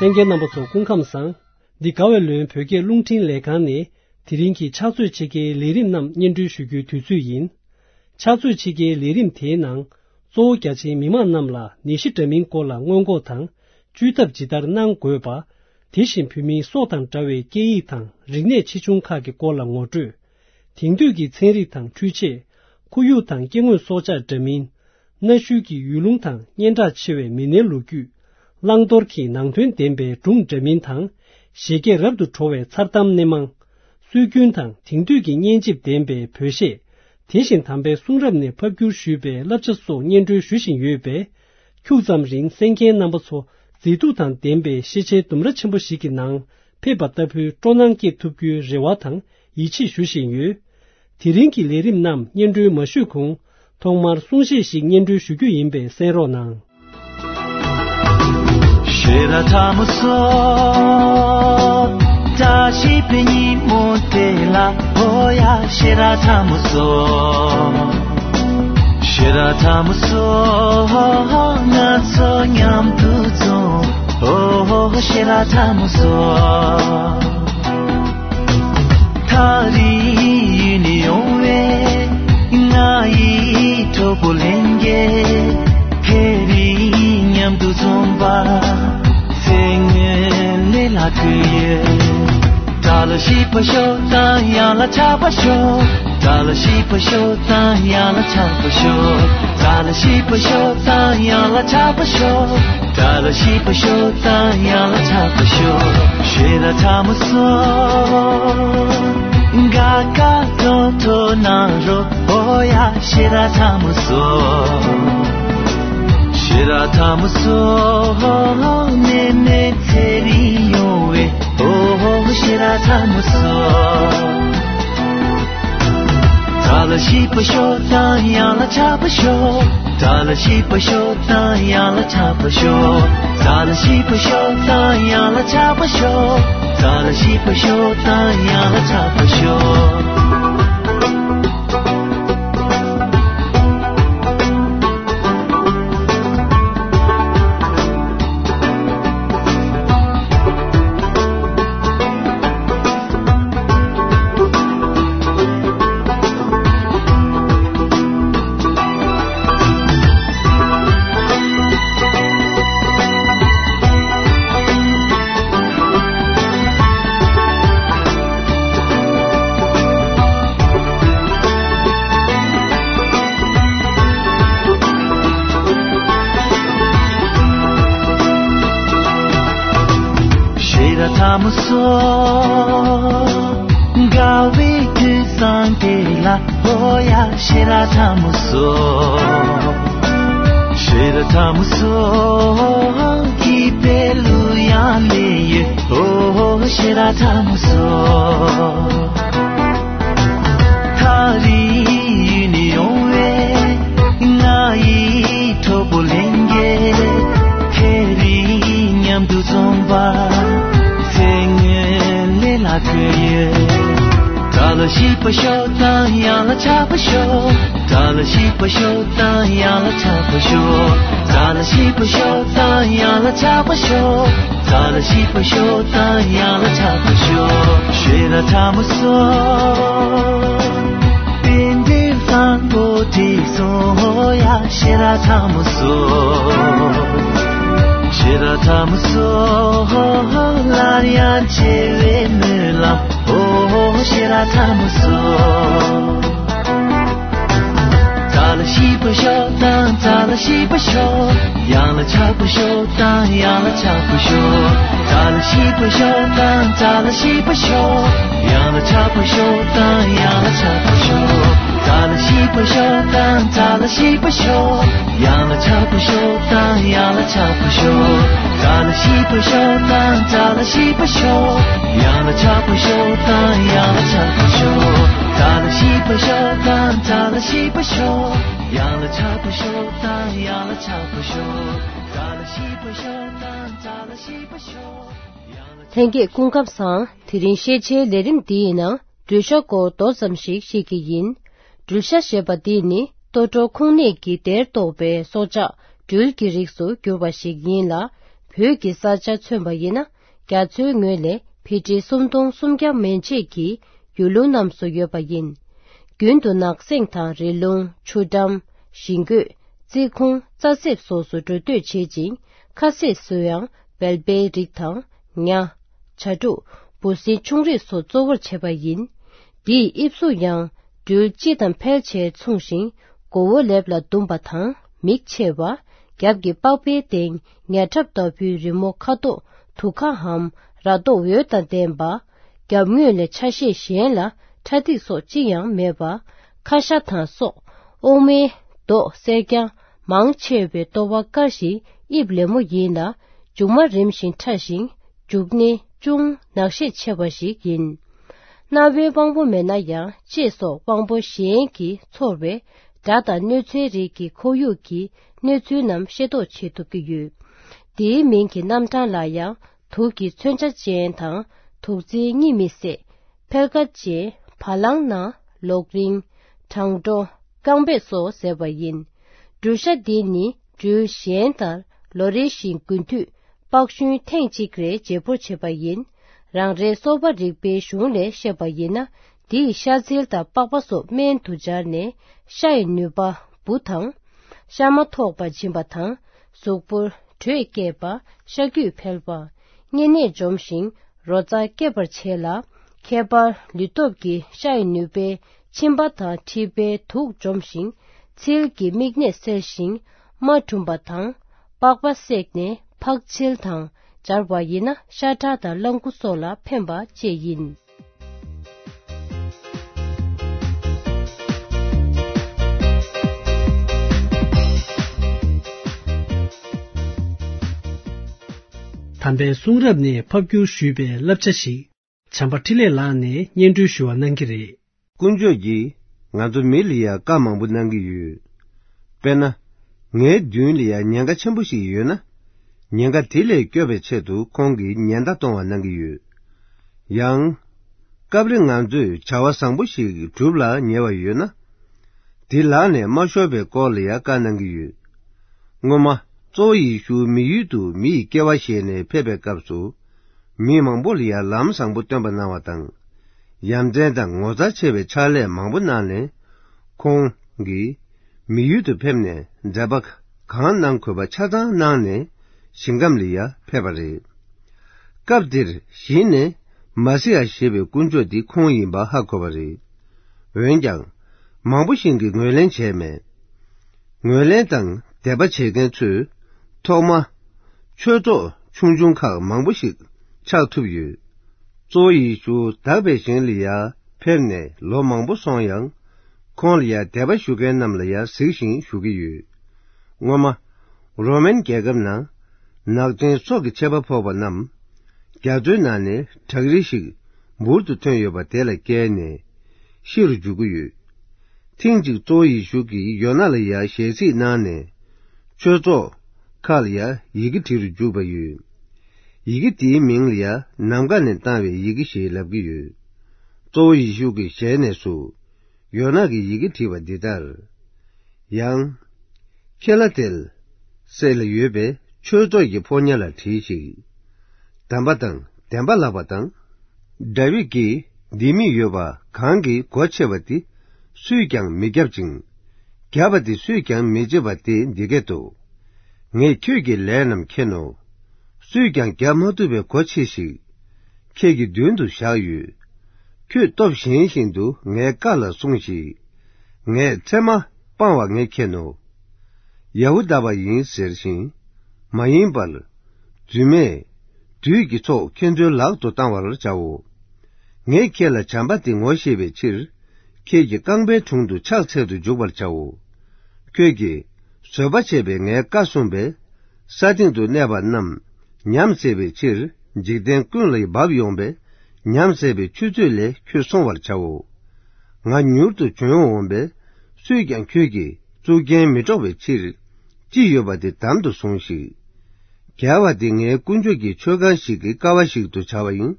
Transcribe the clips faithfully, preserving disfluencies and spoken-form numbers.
གསན་མཁན་རྣམ་པ་ཚོ་སྐུ་ཁམས་བཟང་། འདི་དགའ་བའི་ལོན་བོད་སྐད་རླུང་འཕྲིན་ལས་ཁང་ནས་དེ་རིང་གི་ཕྱག་ཚོད་ཕྱེད་ཀའི་ལས་རིམ་རྣམས་སྙན་སྒྲོན་ཞུ་རྒྱུའི་དུས་ཚོད་ཡིན། ཕྱག་ཚོད་ཕྱེད་ཀའི་ལས་རིམ་དེའི་ནང་། གཙོ་བོ་རྒྱ་ཆེའི་མི་མང་རྣམས་ལ་ནད་གཞི་འདྲ་མིན་སྐོར་ལ་སྔོན་འགོག་དང་། བཅོས་ཐབས་ཇི་ལྟར་གནང་དགོས་པ། དེ་བཞིན་བོད་མིའི་སྲོག་དང་འདྲ་བའི་སྐད་ཡིག་དང་རིག་གནས་ཆེ་ཆུང་ཁག་གི་སྐོར་ལ་ངོ་སྤྲོད། དེང་དུས་ཀྱི་ཚན་རིག་དང་འཕྲུལ་ཆས། ཁོར་ཡུག་དང་སྐྱེ་དངོས་སྲོག་ཆགས་འདྲ་མིན། གནའ་ཤུལ་གྱི་ཡུལ་ལུང་དང་སྙན་གྲགས་ཆེ་བའི་མི་སྣའི་ལོ་རྒྱུས། བླང་དོར་གྱི་ནང་དོན་ལྡན་པའི་སྒྲུང་འདྲ་མིན་དང་། བཞད་གད་རབ་ཏུ་བྲོ་བའི་མཚར་གཏམ་སྣེ་མང་། སྲོལ་རྒྱུན་དང་དེང་དུས་ཀྱི་སྙན་འཇེབས་ལྡན་པའི་བོད་གཞས། དེ་བཞིན་དམ་པའི་གསུང་རབ་ནས་ཕབ་བསྒྱུར་ཞུས་པའི་བསླབ་བྱ་སོགས་སྙན་སྒྲོན་ཞུ་བཞིན་ཡོད་པས། ཁྱུག་ཙམ་རིང་གསན་མཁན་རྣམ་པ་ཚོ་མཛེས་སྡུག་དང་ལྡན་པའི་ཤེས་བྱའི་ལྡུམ་ར་ཆེན་པོ་ཞིག་གི་ནང་ཕེབས་པ་ལྟ་བུའི་སྤྲོ་སྣང་སྐྱེད་ཐུབ་རྒྱུའི་རེ་བ་དང་ཡིད་ཆེས་ཞུ་བཞིན་ཡོད། དེ་རིང་གི་ལས་རིམ་རྣམས་སྙན་སྒྲོན་མ་ཞུས་གོང་། ཐོག་མར་གསུང་བཤད་ཞིག་སྙན་སྒྲོན་ཞུ་རྒྱུ་ཡིན་པས་གསན་རོགས་གནང་། ཐག་རིང་ཡུལ་ནས་ཡོང་བའི་ང་ཡི་གྲོགས་པོ་ལྷན་རྒྱས། ཚེ་རིང་མཉམ་དུ་འཛོམས་པ་ཚེ་སྔོན་ལས་ལྷག་གི་ཡོད། དགྲ་ལ་ཞིབ་པ་ཤོག་དང་ཡང་ལ་ཆགས་པ་ཤོག་དགྲ་ལ་ཞིབ་པ་ཤོག་དང་ཡང་ལ་ཆགས་པ་ཤོག་དགྲ་ལ་ཞིབ་པ་ཤོག་དང་ཡང་ལ་ཆགས་པ་ཤོག་དགྲ་ལ་ཞིབ་པ་ཤོག་དང་ཡང་ལ་ཆགས་པ་ཤོག་ཞེ་དྲག་ཐ་མ་སོ། ག་ག་ཐོ་ཐོ་ན་རོ་ཨོ་ཡ་ཞེ་དྲག་ཐ་མ་སོ། ཞེ་དྲག་ཐ་མ་སོ། ནེ་ནེ་ཚེ་རིང་ཡོང་བའི་ཨོ་ཞེ་དྲག་ཐ་མ་སོ། དགྲ་ལ་ཞིབ་པ་ཤོག་དང་ཡང་ལ་ཆགས་པ་ཤོག་དགྲ་ལ་ཞིབ་པ་ཤོག་དང་ཡང་ལ་ཆགས་པ་ཤོག་དགྲ་ལ་ཞིབ་པ་ཤོག་དང་ཡང་ལ་ཆགས་པ་ཤོག་དགྲ་ལ་ཞིབ་པ་ཤོག་དང་ཡང་ལ་ཆགས་པ་ཤོག་ཞེ་དྲག་ཐ་མ་སོ། དགའ་བའི་དུས་བཟང་དེ་ལ་ཨོ་ཡ་ཞེ་དྲག་ཐ་མ་སོ། ཞེ་དྲག་ཐ་མ་སོ། སྐྱིད་པའི་གླུ་དབྱངས་ལེན་ཡོད་ཨོ་ཞེ་དྲག་ཐ་མ་སོ། ཐག་རིང་ཡུལ་ནས་ཡོང་བའི་ང་ཡི་གྲོགས་པོ་ལྷན་རྒྱས། ཚེ་རིང་མཉམ་དུ་འཛོམས་པ་ཚེ་སྔོན་ལས་ལྷག་གི་ཡོད། དགྲ་ལ་ཞིབ་པ་ཤོག་དང་ཡང་ལ་ཆགས་པ་ཤོག་དགྲ་ལ་ཞིབ་པ་ཤོག་དང་ཡང་ལ་ཆགས་པ་ཤོག་དགྲ་ལ་ཞིབ་པ་ཤོག་དང་ཡང་ལ་ཆགས་པ་ཤོག་དགྲ་ལ་ཞིབ་པ་ཤོག་དང་ཡང་ལ་ཆགས་པ་ཤོག་ཞེ་དྲག་ཐ་མ་སོ། དེ་འདྲའི་བཟང་པོ་དེ་སོང་ཡ་ཞེ་དྲག་ཐ་མ་སོ། ཞེ་དྲག་ཐ་མ་སོ། སླར་ཡང་མཇལ་བའི་སྨོན་ལམ་ཨོ་ཞེ་དྲག་ཐ་མ་སོ། དགྲ་ལ་ཞིབ་པ་ཤོག་དང་དགྲ་ལ་ཞིབ་པ་ཤོག་ཡང་ལ་ཆགས་པ་ཤོག་དང་ཡང་ལ་ཆགས་པ་ཤོག་དགྲ་ལ་ཞིབ་པ་ཤོག་དང་དགྲ་ལ་ཞིབ་པ་ཤོག་ཡང་ལ་ཆགས་པ་ཤོག་དང་ཡང་ལ་ཆགས་པ་ཤོག་དགྲ་ལ་ཞིབ་པ་ཤོག་དང་དགྲ་ལ་ཞིབ་པ་ཤོག་ཡང་ལ་ཆགས་པ་ཤོག་དང་ཡང་ལ་ཆགས་པ་ཤོག་དགྲ་ལ་ཞིབ་པ་ཤོག་དང་དགྲ་ལ་ཞིབ་པ་ཤོག་ཡང་ལ་ཆགས་པ་ཤོག་དང་ཡང་ལ་ཆགས་པ་ཤོག་དགྲ་ལ་ཞིབ་པ་ཤོག་དང་དགྲ་ལ་ཞིབ་པ་ཤོག་ཡང་ལ་ཆགས་པ་ཤོག་དང་ཡང་ལ་ཆགས་པ་ཤོག་དགྲ་ལ་ཞིབ་པ་ཤོག་དང་དགྲ་ལ་ཞིབ་པ་ཤོག་ཡང་ལ། ལྷན་རྒྱས་སྐུ་ཁམས་བཟང་། དེ་རིང་ཤེས་བྱའི་ལས་རིམ་འདིའི་ནང་གྲོས་ཤ་སྐོར་མདོ་ཙམ་ཞིག་བཤད་ཀྱི་ཡིན། གྲོས་ཤ་ཞེས་པ་འདི་ནི་ལྟོ་གྲོད་ཁུང་ནད་ཀྱི་སྡེར་གཏོགས་པའི་སྲོག་ཆགས་སྦྲུལ་གྱི་རིགས་སུ་གྱུར་པ་ཞིག་ཡིན་ལ། བོད་ཀྱི་ས་ཆ་མཚོན་པ་ཡིན་ན། རྒྱ་མཚོའི་ངོས་ལས་ཕི་ཊི་སུམ་སྟོང་སུམ་བརྒྱ་མན་ཆད་ཀྱི་ཡུལ་ལུང་རྣམས་སུ་ཡོད་པ་ཡིན། རྒྱུན་དུ་ནགས་གསེང་དང་རི་ལུང་ཆུ་འགྲམ། ཞིང་བཀོད། རྩི་ཁུང་། རྩྭ་གསེབ་སོགས་སུ་འགྲོ་སྡོད་བྱེད་ཅིང་། ཁ་ཟས་སུ་ཡང་བལ་པའི་རིགས་དང་། ཉ། བྱ་ཕྲུག་བུ་སྲིན་ཆུང་རིགས་སོགས་གཙོ་བོར་བྱེད་པ་ཡིན། འདིས་དབྱིབས་གཟུགས་ཡང་སྦྲུལ་སྤྱི་དང་ཕལ་ཆེར་མཚུངས་ཤིང་། མགོ་བོ་ལེབ་ལ་ཟླུམ་པ་དང་མིག་ཕྱེ་བ། རྒྱབ་ཀྱི་པགས་པའི་སྟེང་ཉ་ཁྲབ་ལྟ་བུའི་རི་མོ་ཁ་དོག་དུ་ཁ་འམ་ར་མདོག་འོད་དང་ལྡན་པ། རྒྱབ་ངོས་ལས་ཆ་ཤས་གཞན་ལ་ཁྲ་ཐིག་སོགས་ཅི་ཡང་མེད་པ། ཁ་ཤ་དང་སོགས་དབུ་མའི་མདོག་སེར་རྐྱང་མང་ཆེ་བའི་ལྟོ་བ་དཀར་ཞིང་དབྱིབས་ལེབ་མོ་ཡིན་ལ། མཇུག་མ་རིམ་བཞིན་ཕྲ་ཞིང་མཇུག་སྣེ་ཅུང་ནག་ཤས་ཆེ་བ་ཞིག་ཡིན། གནའ་བོའི་དབང་པོ་མེད་ན་ཡང་ལྕེ་སོགས་དབང་པོ་གཞན་གྱིས་ཚོར་བའི་སྒྲ་དང་གནོད་འཚེའི་རིགས་ཀྱི་ཁོར་ཡུག་གི་གནོད་ཚུལ་རྣམས་ཤེས་རྟོགས་བྱེད་ཐུབ་ཀྱི་ཡོད། དེའི་མིང་གི་རྣམ་གྲངས་ལ་ཡང་དུག་གི་མཚོན་ཆ་ཅན་དང་དུག་རྫིའི་གཉིད་མི་སད། འཕེལ་ཁ་ཅན། བ་ལང་ན། ལོག་རིང་། བྲང་འགྲོ། རྐང་པས་སོ་ཟེར་བ་ཡིན། སྦྲུལ་ཤ་འདི་ནི་སྦྲུལ་གཞན་ལྟར་ལོ་རེ་བཞིན་དགུན་དུས་པགས་ཤུན་ཐེངས་གཅིག་རེ་བརྗེ་སྤོར་བྱེད་པ་ཡིན། རང་རེའི་སོ་པ་རིག་པའི་གཞུང་ལས་བཤད་པ་ཡིན་ན། འདིས་ཤ་ཚིལ་དང་པགས་པ་སོགས་སྨན་དུ་སྦྱར་ནས་ཤ་ཡི་ནུས་པ་འབུ་དང་། ཤ་མ་ཐོགས་པ་འབྱིན་པ་དང་། གཟུགས་པོར་དྲོད་སྐྱེད་པ། ཤ་རྒྱུས་འཕེལ་བ། གཉན་ནད་འཇོམས་ཤིང་རོ་རྩ་སྐྱེད་པར་བྱེད་ལ། ཁྱད་པར་ལུས་སྟོབས་ཀྱི་ཤ་ཡི་ནུས་པས་མཆིན་པ་དང་མཁྲིས་པའི་དུག་འཇོམས་ཤིང་ཚིལ་གྱི་མིག་ནད་སེལ་ཞིང་རྨ་གྲུམ་པ་དང་པགས་པ་བསྲེགས་ནས་ཕག་ཚིལ་དང་སྦྱར་བ་ཡིན་ན་ཤ་ཁྲག་དང་གླང་ཁུ་སོགས་ལ་ཕན་པ་བཅས་ཡིན། དམ་པའི་གསུང་རབ་ནས་ཕབ་བསྒྱུར་ཞུས་པའི་བསླབ་བྱ་ཞིག་བྱམས་པ་འཕྲིན་ལས་ལགས་ནས་སྙན་སྒྲོན་ཞུ་བ་གནང་གི་རེད། དཀོན་མཆོག་གིས་ང་ཚོ་མི་ལ་ཡང་བཀའ་མང་པོ་གནང་གི་ཡོད། དཔེར་ན། ངའི་མདུན་ལ་ཡང་ཉེན་ཁ་ཆེན་པོ་ཞིག་ཡོད་ན། ཉེན་ཁ་དེ་ལས་སྐྱོབ་པའི་ཆེད་དུ་ཁོང་གིས་ཉེན་བརྡ་གཏོང་བ་གནང་གི་ཡོད། ཡང་། སྐབས་རེ་ང་ཚོས་བྱ་བ་བཟང་པོ་ཞིག་སྒྲུབ་ལ་ཉེ་བ་ཡོད་ན། དེ་ལག་ནས་མ་ཤོར་བའི་སྐོར་ལ་ཡང་བཀའ་གནང་གི་ཡོད། སྔོན་མ། གཙོ་བོ་ཡེ་ཤུ་མི་ཡུལ་དུ་མི་ཡི་སྐྱེ་བ་བཞེས་ནས་ཕེབས་པའི་སྐབས་སུ། མི་མང་པོ་ལ་ཡང་ལམ་བཟང་པོ་སྟོན་པ་གནང་བ་དང་། ཡ་མཚན་དང་ངོ་མཚར་ཆེ་བའི་ཕྱག་ལས་མང་པོ་གནང་ནས། ཁོང་གིས་མི་ཡུལ་དུ་ཕེབས་ནས་མཛད་པ་གང་གནང་དགོས་པ་ཆ་ཚང་གནང་ནས་ཞིང་ཁམས་ལ་ཡང་ཕེབས་པ་རེད། སྐབས་འདིར་གཞི་ནས་མ་སི་ཡ་ཞེས་པའི་དཀོན་མཆོག་འདི་ཁོང་ཡིན་པ་ཧ་གོ་བ་རེད། འོན་ཀྱང་། མང་པོ་ཞིག་གིས་ངོས་ལེན་བྱས་མེད། ངོས་ལེན་དང་དད་པ་བྱེད་མཁན་ཚོས་ཐོག་མ། ཆོས་ཚོགས་ཆུང་ཆུང་ཁག་མང་པོ་ཞིག་ཆགས་ཐུབ་ཡོད། གཙོ་བོ་ཡེ་ཤུ་དག་པའི་ཞིང་ལ་ཡང་ཕེབས་ནས་ལོ་མང་པོ་སོང་ཡང་། ཁོང་ལ་ཡང་དད་པ་ཞུ་མཁན་རྣམས་ལ་ཡང་གཟིགས་ཤིང་ཞུ་གི་ཡོད། སྔོན་མ། རོ་མན་རྒྱལ་ཁབ་ནང་། ནག་ཅན་སྲོག་གི་ཆད་པ་ཕོག་པ་རྣམས། རྒྱ་མཚོའི་ནང་ནས་བྲག་རི་ཞིག་འབུར་དུ་ཐོན་ཡོད་པ་དེ་ལ་བཀལ་ནས། ཤི་རུ་འཇུག་གི་ཡོད། ཐེངས་གཅིག་གཙོ་བོ་ཡེ་ཤུ་གིས་ཡོ་ན་ལ་ཡང་ཞལ་གཟིགས་གནང་ནས། ཆོས་ཚོགས་ཁག་ལ་ཡང་ཡི་གེ་བྲིས་རུ་འཇུག་པ་ཡོད། ཡི་གེ་དེའི་མིང་ལ་ཡང་ནམ་མཁའ་ནས་བཏང་བའི་ཡི་གེ་ཞེས་ལབ་ཀྱི་ཡོད། གཙོ་བོ་ཡེ་ཤུ་གི་ཞལ་ནས་སུ། ཡོ་ན་གིས་ཡི་གེ་བྲིས་པ་འདི་ལྟར། ཡང་། ཁེ་ལ་ཏེལ། སེ་ལ་ཡོད་པའི་ཆོས་ཚོགས་ཀྱི་ཕོ་ཉ་ལ་བྲིས་ཤིག་དམ་པ་དང་བདེན་པ་ལགས་པ་དང་། དཱ་བིད་ཀྱིས་ལྡེ་མིག་ཡོད་པ་གང་གིས་སྒོ་ཕྱེ་བ་དེ་སུས་ཀྱང་མི་བརྒྱབ་ཅིང་། བརྒྱབ་པ་དེ་སུས་ཀྱང་མི་བརྗེད་པ་དེ་འདི་སྐད་དོ། ངས་ཁྱོད་ཀྱི་ལས་རྣམས་མཁྱེན་ནོ། སུས་ཀྱང་བརྒྱབ་མ་ཐུབ་པའི་སྒོ་ཕྱེ་ཞིག་ཁྱེད་ཀྱི་མདུན་དུ་བཞག་ཡོད། ཁྱོད་སྟོབས་ཞན་བཞིན་དུ་ངའི་བཀའ་ལ་སྲུངས་ཤིག་ངས་ཚེར་མ་སྤང་བ་ངས་མཁྱེན་ནོ། ཡ་ཧུ་དཱ་པ་ཡིན་ཟེར་ཞིང་། མ་ཡིན་པར། རྫུན་མས། བདུད་ཀྱི་ཚོགས་ཁྱེད་ཚོའི་ལག་ཏུ་བཏང་བར་བྱའོ། ངས་ཁྱེད་ལ་བྱམས་པ་དེ་ངོ་ཤེས་པའི་ཕྱིར། ཁྱེད་ཀྱི་རྐང་པའི་དྲུང་དུ་ཕྱག་འཚལ་དུ་འཇུག་པར་བྱའོ། ཁྱོད་ཀྱིས་བཟོད་པ་བྱས་པའི་ངའི་བཀའ་སྲུངས་པས། ས་སྟེང་དུ་གནས་པ་རྣམས་ཉམས་བསད་པའི་ཕྱིར། འཇིག་རྟེན་ཀུན་ལ་འབབ་ཡོང་པའི་ཉམས་བསད་པའི་ཆུ་ཚོད་ལས་ཁྱོད་སྲུང་བར་བྱའོ། ང་མྱུར་དུ་བྱོན་འོང་པས། སུས་ཀྱང་ཁྱོད་ཀྱི་གཙུག་རྒྱན་མི་དཀྲོག་པའི་ཕྱིར། ཅི་ཡོད་པ་དེ་དམ་དུ་ཟུངས་ཤིག་རྒྱལ་བ་དེ་ངའི་དཀོན་མཆོག་གི་མཆོད་ཁང་ཞིག་གི་ཀ་བ་ཞིག་ཏུ་བྱ་བ་ཡིན།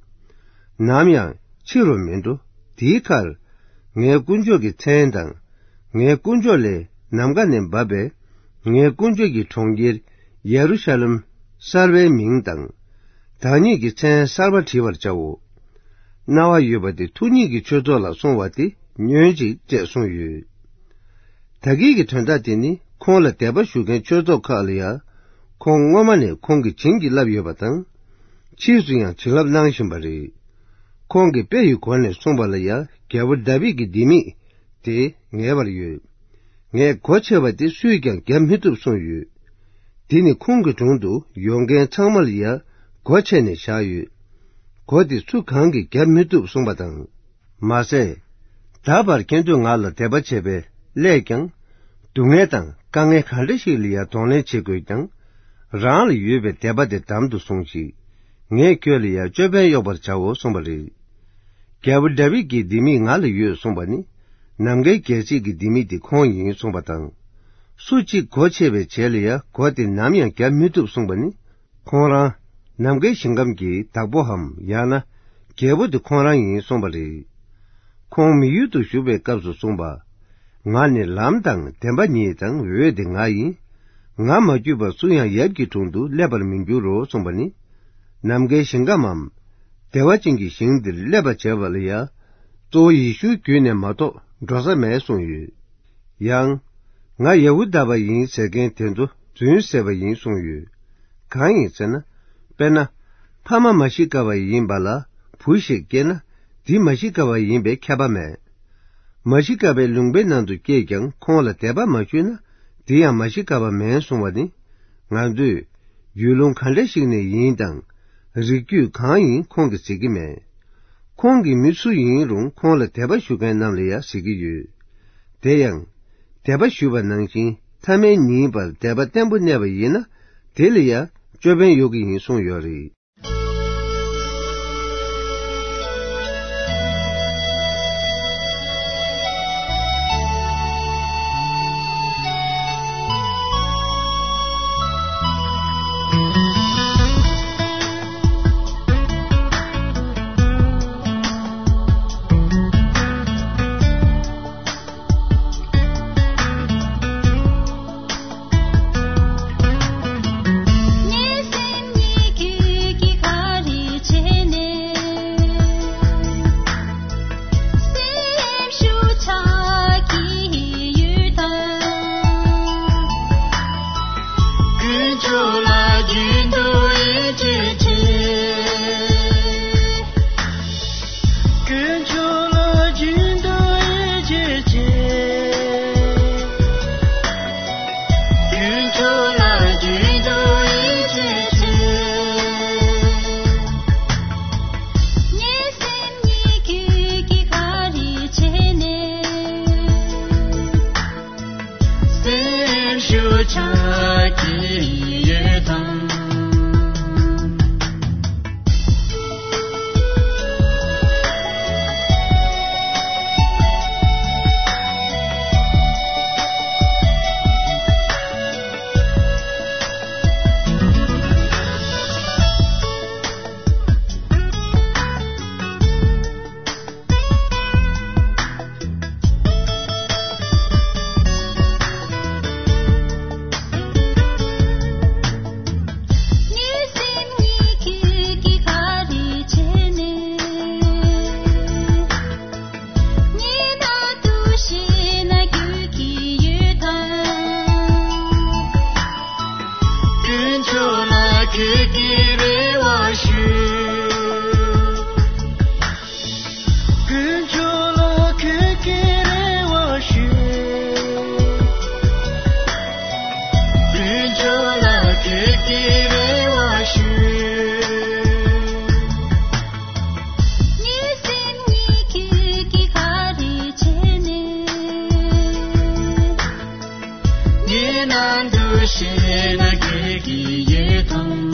ནམ་ཡང་ཕྱི་རུ་མི་འགྲོ། དེའི་ཁར། ངའི་དཀོན་མཆོག་གི་མཚན་དང་། ངའི་དཀོན་མཆོག་ལས་ནམ་མཁའ་ནས་འབབ་པའི། ངའི་དཀོན་མཆོག་གི་གྲོང་ཁྱེར་ཡེ་རུ་ཤ་ལེམ། གསར་བའི་མིང་དང་། བདག་ཉིད་ཀྱི་མཚན་གསར་པ་བྲི་བར་བྱའོ། རྣ་བ་ཡོད་པ་དེ་ཐུགས་ཉིད་ཀྱི་ཆོས་ཚོགས་ལ་སོང་བ་དེ་ཉོན་ཅིག་ཅེས་གསུངས་ཡོད། ད་གིན་གྱི་དོན་དག་དེ་ནི་ཁོང་ལ་དད་པ་ཞུ་མཁན་ཆོས་ཚོགས་ཁག་ལ་ཡང་ཁོང་སྔོན་མ་ནས་ཁོང་གིས་བྱིན་གྱིས་བརླབས་ཡོད་པ་དང་། ཕྱིས་སུ་ཡང་བྱིན་རླབས་གནང་བཞིན་པ་རེད། ཁོང་གིས་དཔེ་ཡི་སྒོ་ནས་གསུངས་པ་ལ་ཡང་རྒྱལ་པོ་དཱ་བིད་ཀྱི་ལྡེ་མིག་དེ་ངེས་པར་ཡོད། ངས་སྒོ་ཕྱེ་བ་དེ་སུས་ཀྱང་བརྒྱབ་མི་ཐུབ་གསུངས་ཡོད། དེ་ནི་ཁོང་གི་དྲུང་དུ་ཡོང་མཁན་ཚང་མ་ལ་ཡང་སྒོ་ཕྱེ་ནས་བཞག་ཡོད། སྒོ་དེ་སུ་གང་གིས་བརྒྱབ་མི་ཐུབ་གསུངས་པ་དང་། མ་ཟད། ད་བར་ཁྱེད་ཚོས་ང་ལ་དད་པ་བྱས་པའི་སླད་ཀྱང་། སྡུག་བསྔལ་དང་དཀའ་ངལ་ག་འདྲ་ཞིག་ལ་ཡང་གདོང་ལེན་བྱེད་དགོས་ཀྱང་། རང་ལ་ཡོད་པའི་དད་པ་དེ་དམ་དུ་བཟུང་ཞིག་ངས་ཁྱོད་ལ་ཡང་ཅོད་པན་གཡོགས་པར་བྱའོ་གསུངས་པ་རེད། རྒྱལ་པོ་དཱ་བིད་ཀྱི་ལྡེ་མིག་ང་ལ་ཡོད་གསུངས་པ་ནི། ནམ་མཁའི་རྒྱལ་སྲིད་ཀྱི་ལྡེ་མིག་དེ་ཁོང་ཡིན་གསུངས་པ་དང་། སུ་གཅིག་སྒོ་ཕྱེ་བའི་རྗེས་ལ་ཡང་སྒོ་དེ་ནམ་ཡང་བརྒྱབ་མི་ཐུབ་གསུངས་པ་ནི། ཁོང་རང་ནམ་མཁའི་ཞིང་ཁམས་ཀྱི་བདག་པོའམ་ཡང་ན་རྒྱལ་པོ་དེ་ཁོང་རང་ཡིན་གསུངས་པ་རེད། ཁོང་མི་ཡུལ་དུ་བཞུགས་པའི་སྐབས་སུ་གསུངས་པ། ང་ནི་ལམ་དང་བདེན་པ་ཉིད་དང་འོད་དེ་ང་ཡིན། ང་མ་བརྒྱུད་པར་སུ་ཡང་ཡབ་ཀྱི་དྲུང་དུ་སླེབས་པར་མི་འགྱུར་རོ་གསུངས་པ་ནི། ནམ་མཁའི་ཞིང་ཁམས་མམ། བདེ་བ་ཅན་གྱི་ཞིང་འདིར་སླེབས་པར་བྱ་བ་ལ་ཡང་། གཙོ་བོ་ཡེ་ཤུའི་བརྒྱུད་ནས་མ་གཏོགས་འགྲོ་ས་མེད་གསུངས་ཡོད། ཡང་། ང་ཡ་ཧུ་དཱ་པ་ཡིན་ཟེར་མཁན་དེ་ཚོ་རྫུན་ཟེར་བ་ཡིན་གསུངས་ཡོད། གང་ཡིན་ཟེར་ན། དཔེར་ན། ཕ་མ་མ་ཤི་ཀ་པ་ཡིན་པ་ལ་བུ་ཞིག་སྐྱེས་ན། འདི་མ་ཤི་ཀ་པ་ཡིན་པའི་ཁྱབ་པ་མེད། མ་ཤི་ཀ་པའི་ལུང་པའི་ནང་དུ་སྐྱེས་ཀྱང་ཁོང་ལ་དད་པ་མ་ཞུས་ན། འདི་ཡང་མ་ཤི་ཀ་པ་མིན་གསུང་བ་ནི། ང་ཚོས་ཡུལ་ལུང་ག་འདྲ་ཞིག་ནས་ཡིན་དང་། རིགས་རྒྱུད་གང་ཡིན་ཁོང་གིས་གཟིགས་ཀྱི་མེད། ཁོང་གིས་མི་སུ་ཡིན་རུང་ཁོང་ལ་དད་པ་ཞུ་མཁན་རྣམས་ལ་ཡང་གཟིགས་ཀྱི་ཡོད། དེ་ཡང་། དད་པ་ཞུས་པ་ནང་བཞིན་ཐ་མལ་ཉིད་པར་དད་པ་བརྟན་པོ་གནས་པ་ཡིན་ན། དེ་ལ་ཡང་ཅོད་པན་གཡོག་གི་ཡིན་གསུངས་ཡོད་རེད། སེམས་ཤུགས་ཆག་གི་ཡོད་དམ། དཀོན་མཆོག་ལ་གུས་ཀྱི་རེ་བ་ཞུ། དཀོན་མཆོག་ལ་གུས་ཀྱི་རེ་བ་ཞུ། ངའི་ནང་དུ་ཤེས་ན་གེགས་ཀྱི་ཡོད་དམ།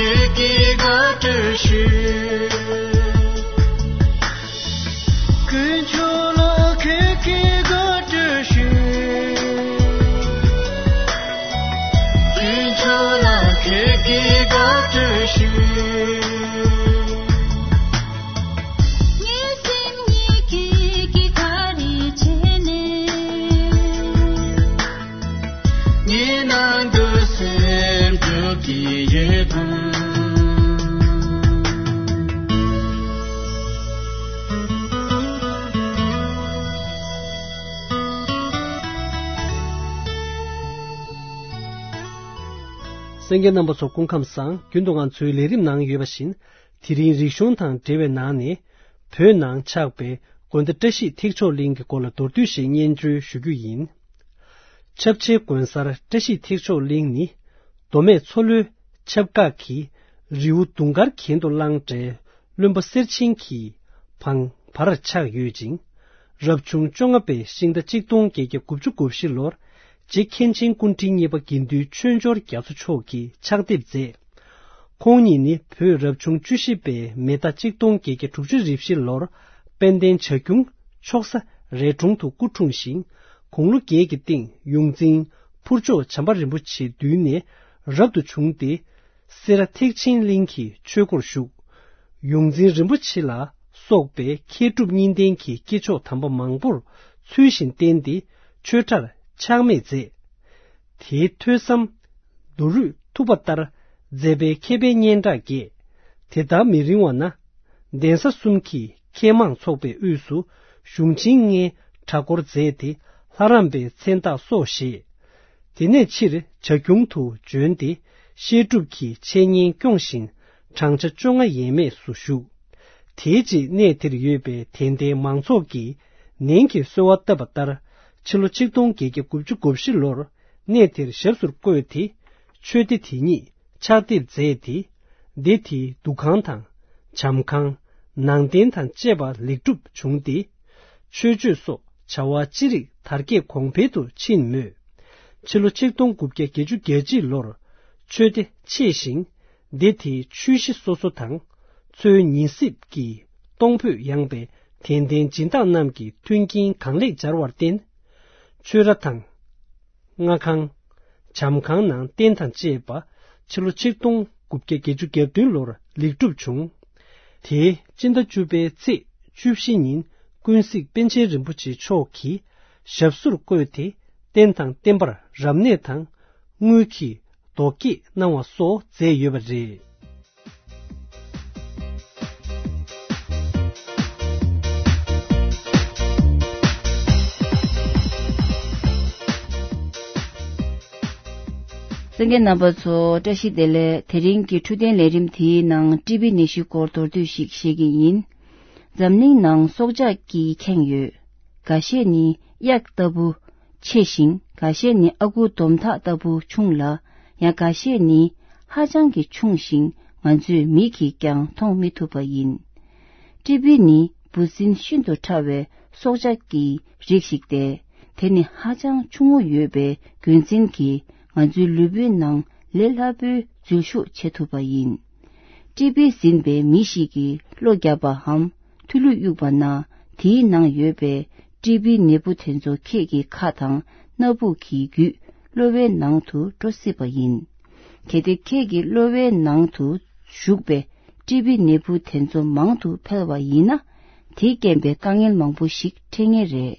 ཁྱེད་ཀྱིས་དགའ་སྤྲོ་ཞུ། དཀོན་མཆོག་ལ་ཁྱེད་ཀྱིས་དགའ་སྤྲོ་ཞུ། དཀོན་མཆོག་ལ་ཁྱེད་ཀྱིས་དགའ་སྤྲོ་ཞུ། ངའི་སེམས་ཉིད་ཀྱིས་ཀྱི་ག་རེ་བྱས་ནས། ངའི་ནང་དུ་སེམས་འགྲོ་གི་ཡོད་དམ། གསན་མཁན་རྣམ་པ་ཚོ་སྐུ་ཁམས་བཟང་། རྒྱུན་དུ་ང་ཚོའི་ལས་རིམ་ནང་ཡོད་པ་བཞིན། དེ་རིང་རིག་གཞུང་དང་འབྲེལ་བའི་ནང་ནས། བོད་ནང་ཆགས་པའི་དགོན་སྡེ་བཀྲ་ཤིས་ཐེག་མཆོག་གླིང་གི་སྐོར་ལ་མདོར་བསྡུས་ཤིག་སྙན་སྒྲོན་ཞུ་རྒྱུ་ཡིན། ཆབ་ཆའི་དགོན་གསར་བཀྲ་ཤིས་ཐེག་མཆོག་གླིང་ནི། མདོ་སྨད་མཚོ་ལྷོའི་ཆབ་འགག་གི་རི་བོ་དུང་དཀར་གྱེན་དུ་བླངས་འདྲའི་བློན་པོ་གསེར་ཆེན་གྱི་བང་བར་ཆགས་ཡོད་ཅིང་། རབ་བྱུང་བཅོ་ལྔ་པའི་ཤིང་རྟ་གཅིག་སྟོང་བརྒྱད་བརྒྱ་དགུ་བཅུ་གོ་བཞི་ལོར་རྗེ་མཁན་ཆེན་སྐུ་ཕྲེང་གཉིས་པ་དགེ་འདུན་ཆོས་འབྱོར་རྒྱ་མཚོ་མཆོག་གིས་ཕྱག་འདེབས་མཛད། ཁོང་ཉིད་ནི་བོད་རབ་བྱུང་བཅུ་བཞི་པའི་མེ་ཟླ་གཅིག་སྟོང་བརྒྱད་བརྒྱ་དྲུག་ཅུ་རེ་བཞི་ལོར་དཔལ་ལྡན་བྱ་ཁྱུང་ཕྱོགས་ས་རས་གྲོང་དུ་སྐུ་འཁྲུངས་ཤིང་། དགུང་ལོ་བརྒྱད་ཀྱི་སྟེང་ཡོངས་འཛིན་ཕུར་ལྕོག་བྱམས་པ་རིན་པོ་ཆེའི་མདུན་ནས་རབ་ཏུ་བྱུང་སྟེ། སེ་ར་ཐེག་ཆེན་གླིང་གི་ཆོས་སྒོར་ཞུགས། ཡོངས་འཛིན་རིན་པོ་ཆེ་ལ་སོགས་པའི་མཁས་གྲུབ་གཉིས་ལྡན་གྱི་སྐྱེས་མཆོག་དམ་པ་མང་པོར་ཚུལ་བཞིན་བསྟེན་ཏེ་ཆོས་གྲྭར་ཕྱག་སྨེད་མཛད། དེའི་ཐོས་བསམ་མདོ་རུས་ཐུབ་པ་ལྟར་མཛད་པའི་མཁས་པའི་སྙན་གྲགས་རྒྱས། དེ་ལྟར་མི་རིང་བ་ན་གདན་ས་གསུམ་གྱི་མཁས་མང་ཚོགས་པའི་དབུས་སུ་གཞུང་ཆེན་ལྔའི་གྲྭ་སྐོར་མཛད་དེ་ལྷ་རམས་པའི་མཚན་རྟགས་སོགས་བཞེས། དེ་ནས་ཕྱིར་བྱ་ཁྱུང་དུ་བྱོན་ཏེ་བཤད་སྒྲུབ་ཀྱི་འཆད་ཉན་སྐྱོང་བཞིན་བགྲང་བྱ་བཅོ་ལྔ་ཡས་མས་སུ་བཞུགས། དེའི་རྗེས་གནས་དེར་ཡོད་པའི་དད་ལྡན་མང་ཚོགས་ཀྱིས་ནན་གྱིས་གསོལ་བ་བཏབ་པ་ལྟར་ཕྱི་ལོ་ཆིག་སྟོང་བརྒྱད་བརྒྱ་དགུ་བཅུ་གོ་བཞི་ལོར་གནས་དེར་ཞབས་སུ་བཀོད་དེ་ཆོས་སྡེ་དེ་ཉིད་ཕྱག་དེབ་མཛད་དེ། སྡེ་དེའི་འདུ་ཁང་དང་། བྱམས་ཁང་། ནང་རྟེན་དང་བཅས་པ་ལེགས་གྲུབ་བྱུང་སྟེ། ཆོས་སྤྱོད་སོགས་བྱ་བ་ཅི་རིགས་དར་རྒྱས་གོང་འཕེལ་དུ་ཕྱིན་མོད། ཕྱི་ལོ་ཆིག་སྟོང་དགུ་བརྒྱ་བརྒྱད་ཅུ་གྱ་གཅིག་ལོར་ཆོས་སྡེ་ཆད་ཞིང་། སྡེ་དེའི་ཆོས་གཞི་སོ་སོ་དང་། མཚོའི་ཉིན་སྲིབ་ཀྱི་གཏོང་ཕོད་ཡངས་པའི་དད་ལྡན་སྦྱིན་བདག་རྣམས་ཀྱི་མཐུན་རྐྱེན་གང་ལེགས་སྦྱར་བར་བརྟེན། ཆོས་ར་དང་། སྔ་ཁང་། བྱམས་ཁང་ནང་རྟེན་དང་བཅས་པ་ཕྱི་ལོ་ཆིག་སྟོང་དགུ་བརྒྱ་བརྒྱད་ཅུ་གྱ་བདུན་ལོར་ལེགས་གྲུབ་བྱུང་། དེའི་སྤྱི་ཟླ་བཅུ་པའི་ཚེས་བཅུ་བཞི་ཉིན་ཀུན་གཟིགས་པཎ་ཆེན་རིན་པོ་ཆེ་མཆོག་གིས་ཞབས་སོར་བཀོད་དེ་རྟེན་དང་བརྟེན་པར་རབ་གནས་དང་དངུལ་གྱི་རྡོ་བརྒྱད་གནང་བ་སོགས་མཛད་ཡོད་པ་རེད། གསན་མཁན་རྣམ་པ་ཚོ་བཀྲ་ཤིས་བདེ་ལེགས། དེ་རིང་གི་འཕྲོད་བསྟེན་ལས་རིམ་དེའི་ནང་ཊི་བི་ནད་གཞིའི་སྐོར་མདོར་བསྡུས་ཤིག་བཤད་ཀྱི་ཡིན། འཛམ་གླིང་ནང་སྲོག་ཆགས་ཀྱིས་ཁེངས་ཡོད། འགའ་ཤས་ནི་གཡག་ལྟ་བུ་ཆེ་ཞིང་། འགའ་ཤས་ནི་ཨ་ཁུ་དོམ་ཐག་ལྟ་བུ་ཆུང་ལ། ཡང་འགའ་ཤས་ནི་ཧ་ཅང་གི་ཆུང་ཞིང་། ང་ཚོས་མིག་གིས་ཀྱང་མཐོང་མི་ཐུབ་པ་ཡིན། ཊི་བི་ནི་འབུ་སྲིན་ཤིན་ཏུ་ཕྲ་བའི་སྲོག་ཆགས་ཀྱི་རིགས་ཤིག་སྟེ། དེ་ནི་ཧ་ཅང་ཆུང་ངུ་ཡོད་པའི་རྒྱུ་མཚན་གྱིས་ང་ཚོའི་ལུས་པོའི་ནང་ལས་སླ་པོའི་འཛུལ་ཞུགས་བྱེད་ཐུབ་པ་ཡིན། ཊི་བི་ཟིན་པའི་མི་ཞིག་གིས་གློ་བརྒྱབ་པའམ་མཐུ་ལུད་གཡུགས་པ་ན། དེའི་ནང་ཡོད་པའི་ཊི་བི་ནད་འབུ་དེ་ཚོ་ཁྱེད་ཀྱི་ཁ་དང་སྣ་བུག་གི་བརྒྱུད་གློ་བའི་ནང་དུ་འགྲོ་སྲིད་པ་ཡིན། གལ་ཏེ་ཁྱེད་ཀྱི་གློ་བའི་ནང་དུ་ཞུགས་པའི་ཊི་བི་ནད་འབུ་དེ་ཚོ་མང་དུ་འཕེལ་བ་ཡིན་ན། དེས་རྐྱེན་པས་དཀའ་ངལ་མང་པོ་ཞིག་འཕྲད་ངེས་རེད།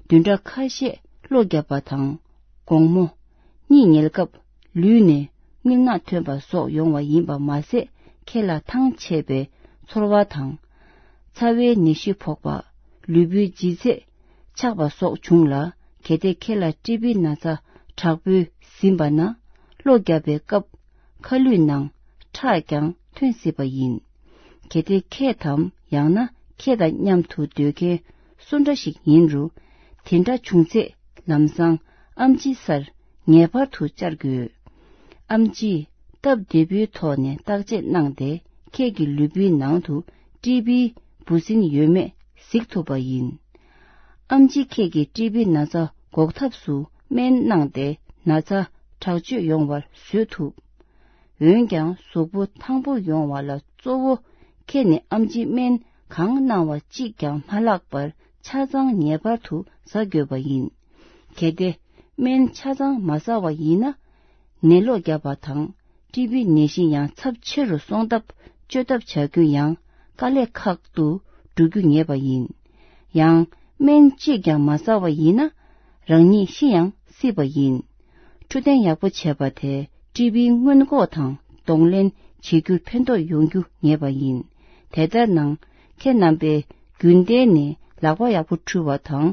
བདུན་ཕྲག་ཁ་ཤས་གློ་བརྒྱབ་པ་དང་། དགོང་མོ། གཉིད་ཉལ་སྐབས་ལུས་ནས་རྔུལ་ནག་ཐོན་པ་སོགས་ཡོང་བ་ཡིན་པ་མ་ཟད། ཁྱེད་ལ་ཐང་ཆད་པའི་ཚོར་བ་དང་། ཚ་བའི་ནད་གཞི་ཕོག་པ། ལུས་པོའི་ལྗིད་ཚད་ཆག་པ་སོགས་བྱུང་ལ། གལ་ཏེ་ཁྱེད་ལ་ཊི་བི་ན་ཚ་དྲག་པོས་ཟིན་པ་ན། གློ་བརྒྱབ་པའི་སྐབས་ཁ་ལུད་ནང་ཁྲག་ཀྱང་ཐོན་སྲིད་པ་ཡིན། གལ་ཏེ་ཁྱེད་དམ་ཡང་ན་ཁྱེད་དང་མཉམ་དུ་སྡོད་མཁན་སུ་འདྲ་ཞིག་ཡིན་རུང་། དེ་འདྲ་བྱུང་ཚེ་ལམ་སང་ཨེམ་ཆི་སར་ངེས་པར་དུ་བཅར་དགོས། ཨེམ་ཆིས་སྟབས་བདེ་པོའི་ཐོག་ནས་བརྟག་དཔྱད་གནང་སྟེ། ཁྱེད་ཀྱི་ལུས་པོའི་ནང་དུ་ཊི་བིའི་འབུ་སྲིན་ཡོད་མེད་གཟིགས་ཐུབ་པ་ཡིན། ཨེམ་ཆིས་ཁྱེད་ཀྱི་ཊི་བི་ན་ཚ་འགོག་ཐབས་སུ་སྨན་གནང་སྟེ། ན་ཚ་དྲག་སྤྱོད་ཡོང་བར་བཟོད་ཐུབ། འོན་ཀྱང་གཟུགས་པོ་ཐང་པོ་ཡོང་བ་ལ་གཙོ་བོ་ཁྱེད་ནས་ཨམ་ཆི་སྨན་གང་གནང་བ་གཅིག་ཀྱང་མ་བརླག་པར་ཆ་ཚང་ངེས་པར་དུ་ཟ་དགོས་པ་ཡིན། གལ་ཏེ་སྨན་ཆ་ཚང་མ་ཟ་བ་ཡིན་ན། ནད་གློ་བརྒྱབ་པ་དང་ཀྲི་པི་ནད་གཞི་ཡང་ཚབས་ཆེ་རུ་སོང་སྟབས་བཅོས་ཐབས་བྱ་རྒྱུ་ཡང་དཀའ་ལས་ཁག་ཏུ་འགྲོ་རྒྱུ་ངེས་པ་ཡིན། ཡང་སྨན་གཅིག་ཀྱང་མ་ཟ་བ་ཡིན་ན་རང་ཉིད་ཤི་ཡང་སྲིད་པ་ཡིན། འཕྲོད་བསྟེན་ཡག་པོ་བྱས་པ་དེ་ཀྲི་པིའི་སྔོན་འགོག་དང་གདོང་ལེན་བྱེད་རྒྱུར་ཕན་ཐོགས་ཡོང་རྒྱུ་ངེས་པ་ཡིན། དེ་ལྟར་ན་ཁྱེད་རྣམ་པས་རྒྱུན་གཏན་ནས་ལག་པ་ཡག་པོ་འཁྲུ་བ་དང་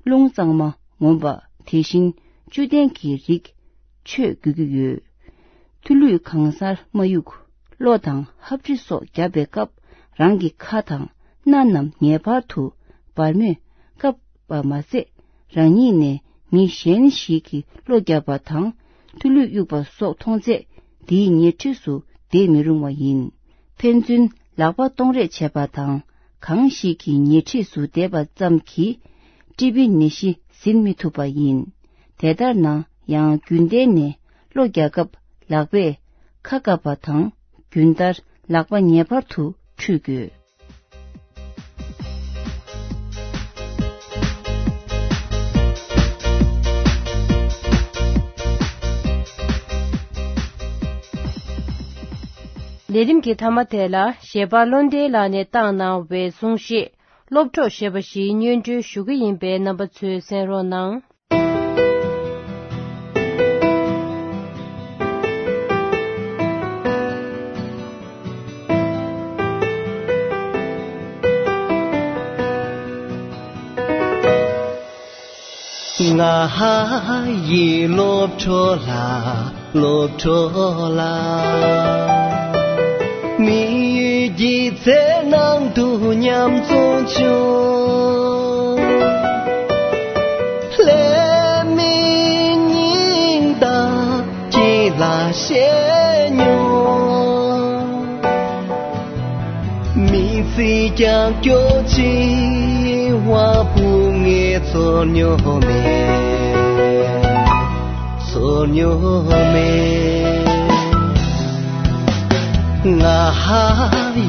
རླུང་གཙང་མ་ངོམ་པ། དེ་བཞིན་བཅུད་ལྡན་གྱི་རིགས་མཆོད་དགོས་ཀྱི་ཡོད། ཐུ་ལུད་གང་སར་མ་གཡུག་གློ་དང་ཧབ་དྲི་སོགས་བརྒྱབ་པའི་སྐབས་རང་གི་ཁ་དང་སྣ་རྣམས་ངེས་པར་དུ་སྦར་མོས་བཀབ་པ་མ་ཟད། རང་ཉིད་ནས་མི་གཞན་ཞིག་གི་གློ་བརྒྱབ་པ་དང་ཐུ་ལུད་གཡུག་པ་སོགས་མཐོང་ཚེ་དེའི་ཉེ་འཁྲིས་སུ་བསྡད་མི་རུང་བ་ཡིན། ཕན་ཚུན་ལག་པ་གཏོང་རེས་བྱེད་པ་དང་གང་ཞིག་གི་ཉེ་འཁྲིས་སུ་བསྡད་པ་ཙམ་གྱིས་ཀྲི་པི་ནད་གཞི་ཟིན་མི་ཐུབ་པ་ཡིན། དེ་ལྟར་ན་ཡང་རྒྱུན་གཏན་ནས་གློ་རྒྱག་སྐབས་ལག་པས་ཁ་བཀབ་པ་དང་རྒྱུན་ལྟར་ལག་པ་ངེས་པར་དུ་འཁྲུད་དགོས། ལས་རིམ་གྱི་མཐའ་མ་དེ་ལ་གཞས་པ་བློ་ལྡན་ལགས་ནས་བཏང་གནང་བའི་གསུང་བཤད། སློབ་གྲོགས་ཞེས་པ་ཞིག་སྙན་སྒྲོན་ཞུ་གི་ཡིན་པས་རྣམ་པ་ཚོས་གསན་རོགས་གནང་། ང་ཡི་སློབ་གྲོགས་ལ། སློབ་གྲོགས་ལགས། མི་ཡུལ་གྱི་ཚེ་ནང་དུ་མཉམ་འཛོམས་བྱུང་། ལྷད་མེད་སྙིང་གཏམ་གྱི་ལ་བཤད་མྱོང་། མི་ཚེ་རྒྱང་སྐྱོད་ཆེ་བ་བུ་ངས་ཚོར་མྱོང་མེད། ཚོར་མྱོང་མེད། ང་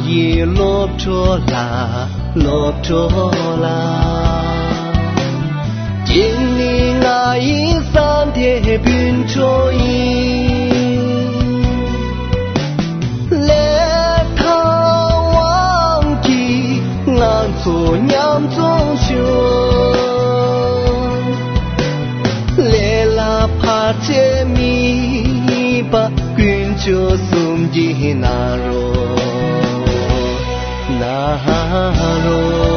ཡི་སློབ་གྲོགས་ལགས། སློབ་གྲོགས་ལགས། ཁྱེད་ནི་ང་ཡི་བསམ་དེ་སྤུན་གྲོགས་ཡིན། ལས་དང་དབང་གིས་ང་ཚོ་མཉམ་འཛོམས་བྱུང་། ལས་ལ་བར་ཆད་མེད་པ་དཀོན་མཆོག་གསུམ་གྱི་ནང་རོགས། ནང་རོགས།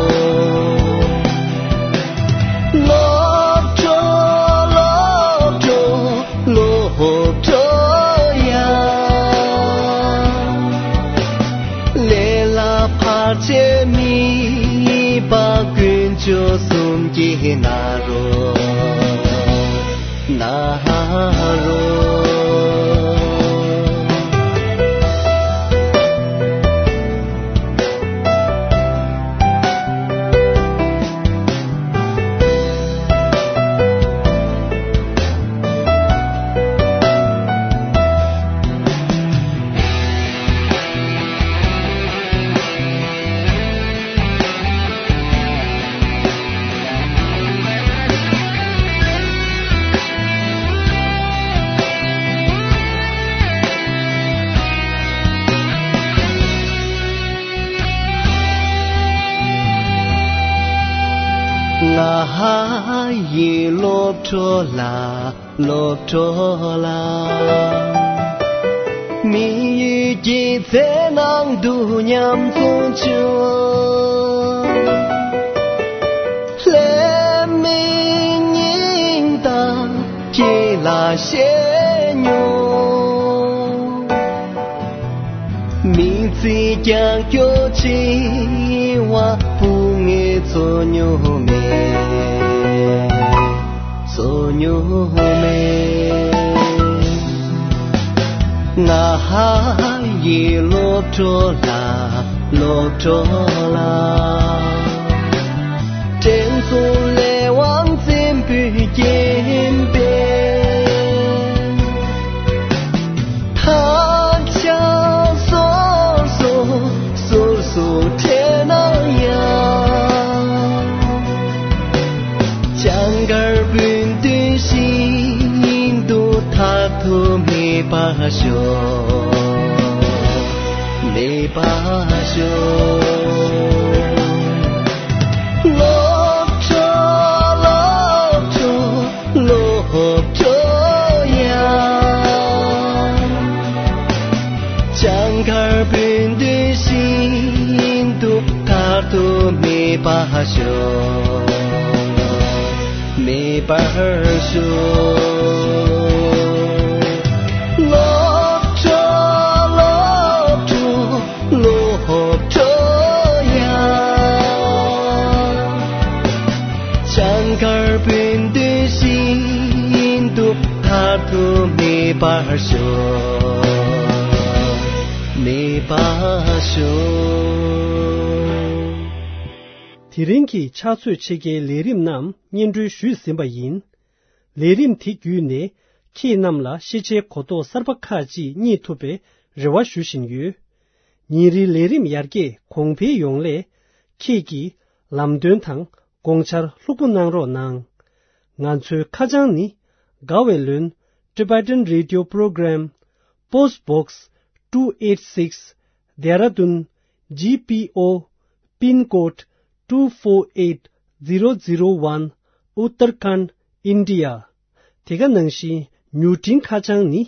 སློབ་གྲོགས། སློབ་གྲོགས། སློབ་གྲོགས་ཡ། ལས་ལ་བར་ཆད་མེད་པ་དཀོན་མཆོག་གསུམ་གྱི་ནང་རོགས། ནང་རོགས། ང་ཡི་སློབ་གྲོགས་ལགས། སློབ་གྲོགས་ལགས། མི་ཡུལ་གྱི་ཚེ་ནང་དུ་མཉམ་འཛོམས་བྱུང་། ལྷད་མེད་སྙིང་གཏམ་ཁྱེད་ལ་བཤད་མྱོང་། མི་ཚེ་རྒྱང་སྐྱོད་ཆེ་བ་བུ་ངས་ཚོར་མྱོང་མེད། ཚོར་མྱོང་མེད། ང་ཡི་སློབ་གྲོགས་ལགས། སློབ་གྲོགས་ལགས། དྲན་གསོ་ལས་དབང་བཙན་པོས་བརྒྱན་པའི་ཐང་ ཤོག་མེད་པར་ཤོག་སློབ་གྲྭ་སློབ་གྲྭ་སློབ་གྲྭ་ཡང་། བྱང་མཁར་བོད་དོན་ཤིན་ཏུ་མཐར་ཐུག་མེད་པར་ཤོག་མེད་པར་ཤོག་སློབ་གྲྭ་སློབ་གྲྭ་སློབ་གྲྭ་ཡང་། བྱང་མཁར་བོད་དོན་ཤིན་ཏུ་མཐར་ཐུག་མེད་པར་ཤོག་མེད་པར་ཤོག་དེ་རིང་གི་ཕྱག་ཚོད་ཕྱེད་ཀའི་ལས་རིམ་རྣམས་སྙན་སྒྲོན་ཞུས་ཟིན་པ་ཡིན། ལས་རིམ་དེ་བརྒྱུད་ནས་ཁྱེད་རྣམས་ལ་ཤེས་བྱའི་གོ་རྟོགས་གསར་པ་ཁག་ཅིག་རྙེད་ཐུབ་པའི་རེ་བ་ཞུ་བཞིན་ཡོད། ཉིན་རེའི་ལས་རིམ་ཡར་རྒྱས་གོང་འཕེལ་ཡོང་སླད། ཁྱེད་ཀྱིས་ལམ་སྟོན་དང་དགོངས་འཆར་ལྷུག་པོ་གནང་རོགས་གནང་། ང་ཚོའི་ཁ་བྱང་ནི། དགའ་བའི་ལོན། Tibetan Radio Program, Post Box two eight six, Dehradun G P O, pin code two four eight zero zero one, Uttarakhand, India. དེ་ག་ནང་བཞིན་མྱུར་འཕྲིན་ཁ་བྱང་ནི།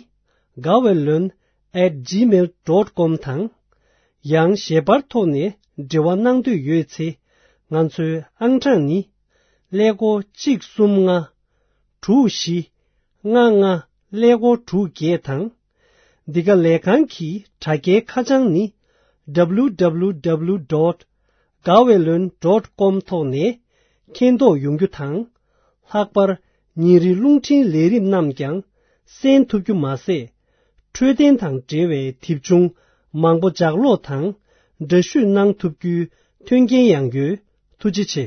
དགའ་བའི་ལོན་at gmail dot com དང་། ཡང་ཞལ་པར་ཐོག་ནས་འབྲེལ་བ་གནང་འདོད་ཡོད་ཚེ། ང་ཚོའི་ཨང་གྲངས་ནི། ཀླད་ཀོར་གཅིག་གསུམ་ལྔ། དྲུག་བཞི། ལྔ་ལྔ། ཀླད་ཀོར་དྲུག་བརྒྱད་དང་། འདི་ག་ལས་ཁང་གི་དྲ་རྒྱའི་ཁ་བྱང་ནི། W W W dot gaweylon dot com ཐོག་ནས་མཁྱེན་རྟོགས་ཡོང་རྒྱུ་དང་། ལྷག་པར་ཉིན་རེའི་རླུང་འཕྲིན་ལས་རིམ་རྣམས་ཀྱང་གསན་ཐུབ་རྒྱུ་མ་ཟད། འཕྲོད་བསྟེན་དང་འབྲེལ་བའི་དེབ་ཆུང་མང་པོ་ལྗགས་ཀློག་དང་འདྲ་བཤུས་གནང་ཐུབ་རྒྱུའི་མཐུན་རྐྱེན་ཡང་ཡོད། ཐུགས་རྗེ་ཆེ།